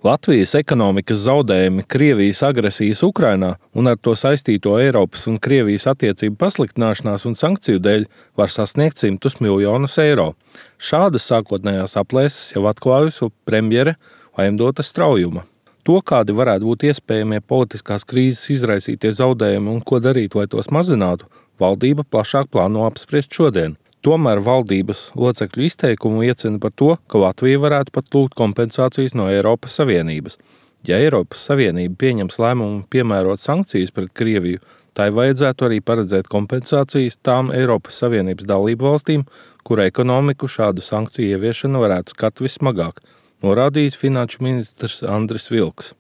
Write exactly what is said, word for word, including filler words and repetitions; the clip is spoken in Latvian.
Latvijas ekonomikas zaudējumi Krievijas agresijas Ukrainā un ar to saistīto Eiropas un Krievijas attiecību pasliktināšanās un sankciju dēļ var sasniegt simtus miljonus eiro. Šādas sākotnējās aplēses jau atklājusi premjere Vaimdota Straujuma. To, kādi varētu būt iespējamie politiskās krīzes izraisītie zaudējumi un ko darīt, lai tos mazinātu, valdība plašāk plāno apspriest šodien. Tomēr valdības locekļu izteikumu liecina par to, ka Latvija varētu pat lūgt kompensācijas no Eiropas Savienības. Ja Eiropas Savienība pieņems lēmumu piemērot sankcijas pret Krieviju, tai vajadzētu arī paredzēt kompensācijas tām Eiropas Savienības dalību valstīm, kura ekonomiku šādu sankciju ieviešana varētu skart vismagāk, norādījis finanšu ministrs Andris Vilks.